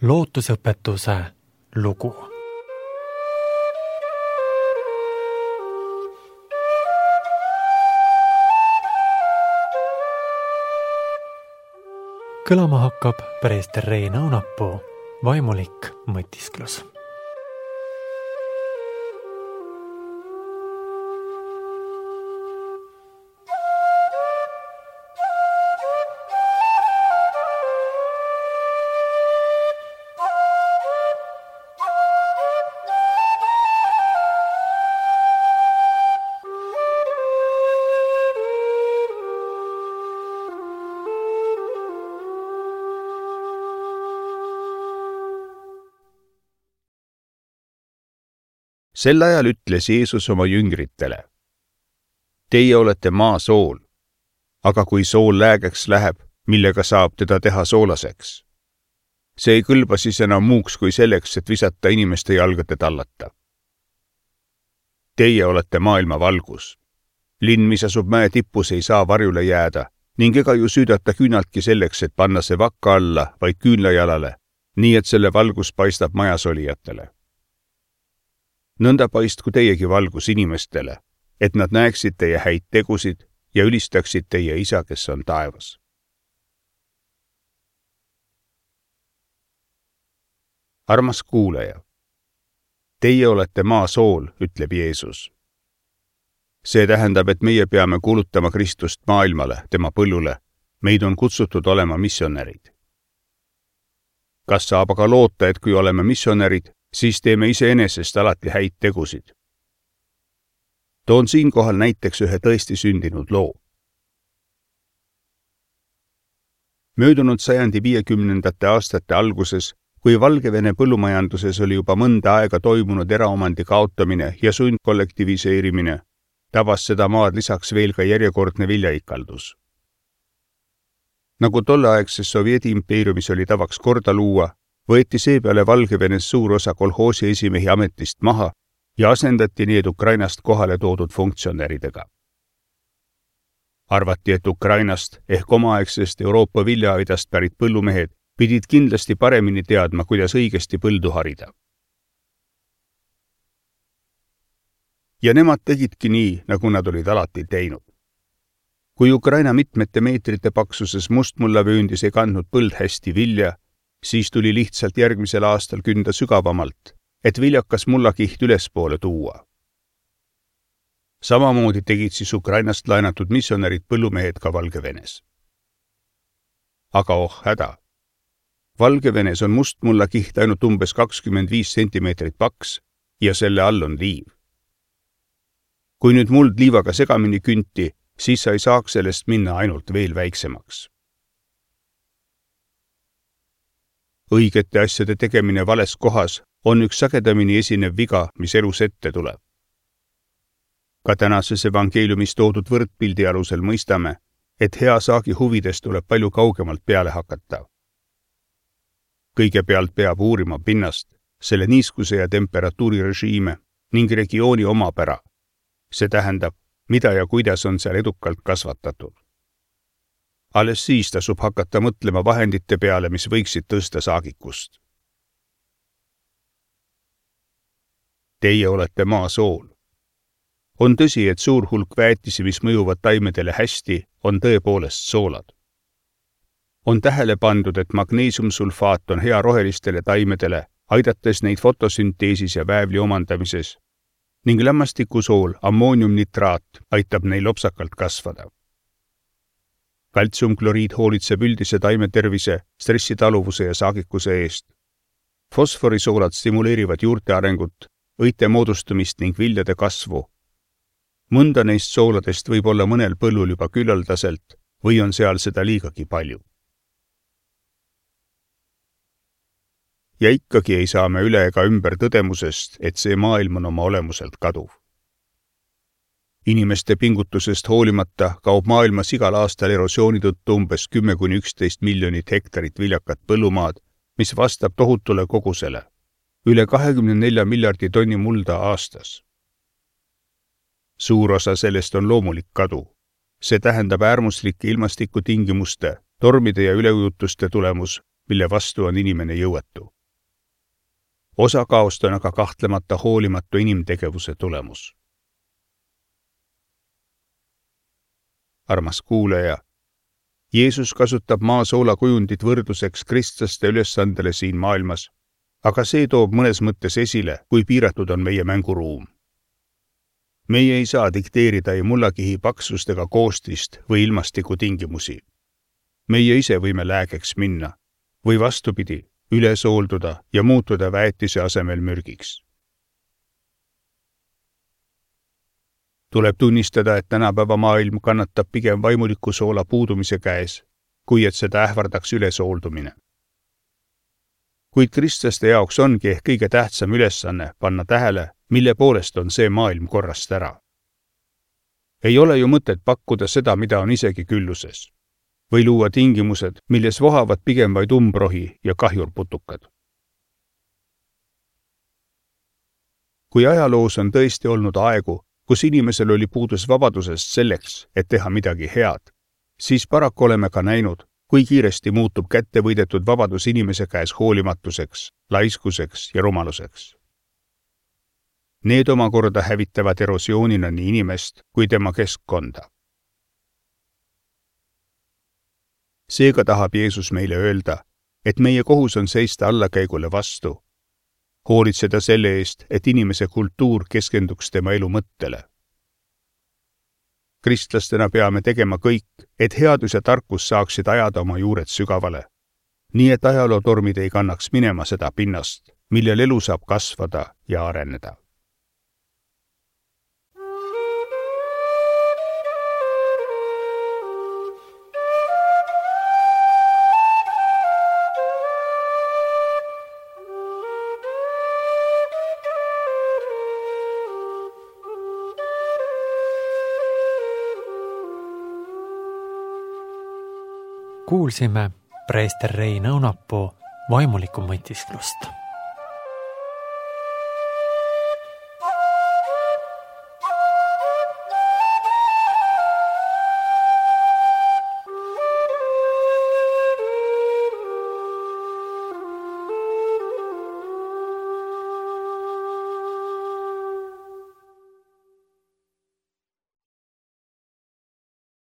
lootusõpetuse lugu. Kõlama hakkab preester Rein Aunapuu vaimulik mõtisklus. Sel ajal ütles Jeesus oma jüngritele: Teie olete maa sool, aga kui sool läägeks läheb, millega saab teda teha soolaseks? See ei kõlba siis enam muuks kui selleks, et visata inimeste jalgade tallata. Teie olete maailma valgus. Linn, mis asub mäe tippus, ei saa varjule jääda ning ega ju süüdata küünaltki selleks, et panna see vakka alla, vaid küünlajalale, nii et selle valgus paistab majas olijatele. Nõnda paistku teiegi valgus inimestele, et nad näeksid teie häid tegusid ja ülistaksid teie isa, kes on taevas. Armas kuulaja, teie olete maa sool, ütleb Jeesus. See tähendab, et meie peame kuulutama Kristust maailmale, tema põllule. Meid on kutsutud olema missionärid. Kas saab aga loota, et kui oleme missionärid, siis teeme iseenesest alati häid tegusid? Toon siinkohal näiteks ühe tõesti sündinud loo. Möödunud sajandi 50. aastate alguses, kui Valgevene põllumajanduses oli juba mõnda aega toimunud eraomandi kaotamine ja sundkollektiviseerimine, tabas seda maad lisaks veel ka järjekordne viljaikaldus. Nagu tolleaegses Sovjeti impeeriumis oli tavaks korda luua, võeti seepeale Valgevenes suur osa kolhoosi esimehi ametist maha ja asendati need Ukrainast kohale toodud funktsionäridega. Arvati, et Ukrainast ehk omaaegsest Euroopa viljaaidast pärit põllumehed pidid kindlasti paremini teadma, kuidas õigesti põldu harida. Ja nemad tegidki nii, nagu nad olid alati teinud. Kui Ukraina mitmete meetrite paksuses mustmullavööndis ei kandnud põld hästi vilja, siis tuli lihtsalt järgmisel aastal künda sügavamalt, et viljakas mullakiht ülespoole tuua. Samamoodi tegid siis Ukrainast laenatud missionärid põllumehed ka Valgevenes. Aga häda. Valgevenes on mustmullakiht ainult umbes 25 cm paks ja selle all on liiv. Kui nüüd muld liivaga segamini künti, siis sa ei saaks sellest minna ainult veel väiksemaks. Õigete asjade tegemine vales kohas on üks sagedamini esinev viga, mis elus ette tuleb. Ka tänases evangeeliumis toodud võrdpildi alusel mõistame, et hea saagi huvides tuleb palju kaugemalt peale hakata. Kõigepealt peab uurima pinnast, selle niiskuse ja temperatuurirežiime ning regiooni omapära. See tähendab, mida ja kuidas on seal edukalt kasvatatud. Alles siis tasub hakata mõtlema vahendite peale, mis võiksid tõsta saagikust. Teie olete maa sool. On tõsi, et suur hulk väetisi, mis mõjuvad taimedele hästi, on tõepoolest soolad. On tähele pandud, et magneesiumsulfaat on hea rohelistele taimedele, aidates neid fotosünteesis ja väävli omandamises, ning lämmastikusool, ammooniumnitraat, aitab neil lopsakalt kasvada. Kaltsiumkloriid hoolitseb üldise taimetervise, stressitaluvuse ja saagikuse eest. Fosforisoolad stimuleerivad juurte arengut, õite moodustumist ning viljade kasvu. Mõnda neist sooladest võib olla mõnel põllul juba küllaldaselt või on seal seda liigagi palju. Ja ikkagi ei saa me üle ega ümber tõdemusest, et see maailm on oma olemuselt kaduv. Inimeste pingutusest hoolimata kaob maailmas igal aastal erosiooni tõttu umbes 10–11 miljonit hektarit viljakat põllumaad, mis vastab tohutule kogusele, üle 24 miljardi tonni mulda aastas. Suur osa sellest on loomulik kadu. See tähendab äärmuslike ilmastikutingimuste, tormide ja üleujutuste tulemus mille vastu on inimene jõuetu. Osa kaost on aga kahtlemata hoolimatu inimtegevuse tulemus. Armas kuulaja, Jeesus kasutab maasoola kujundit võrdluseks kristlaste ülesandele siin maailmas, aga see toob mõnes mõttes esile, kui piiratud on meie mänguruum. Meie ei saa dikteerida ei mullakihi paksust ega koostist või ilmastiku tingimusi. Meie ise võime läägeks minna või vastupidi, üle soolduda ja muutuda väetise asemel mürgiks. Tuleb tunnistada, et tänapäeva maailm kannatab pigem vaimuliku soola puudumise käes, kui et seda ähvardaks ülesooldumine. Kuid kristlaste jaoks ongi ehk kõige tähtsam ülesanne panna tähele, mille poolest on see maailm korrast ära. Ei ole ju mõtet pakkuda seda, mida on isegi külluses, või luua tingimused, milles vohavad pigem vaid umbrohi ja kahjurputukad. Kui ajaloos on tõesti olnud aegu, kus inimesel oli puudus vabadusest selleks, et teha midagi head, siis paraku oleme ka näinud, kui kiiresti muutub kätte võidetud vabadus inimese käes hoolimatuseks, laiskuseks ja rumaluseks. Need omakorda hävitavad erosioonina nii inimest kui tema keskkonda. Seega tahab Jeesus meile öelda, et meie kohus on seista allakäigule vastu, hoolitseda selle eest, et inimese kultuur keskenduks tema elu mõttele. Kristlastena peame tegema kõik, et headus ja tarkus saaksid ajada oma juured sügavale, nii et ajalootormid ei kannaks minema seda pinnast, millel elu saab kasvada ja areneda. Kuulsime preester Rein Õunapuu vaimulikku mõtisklust.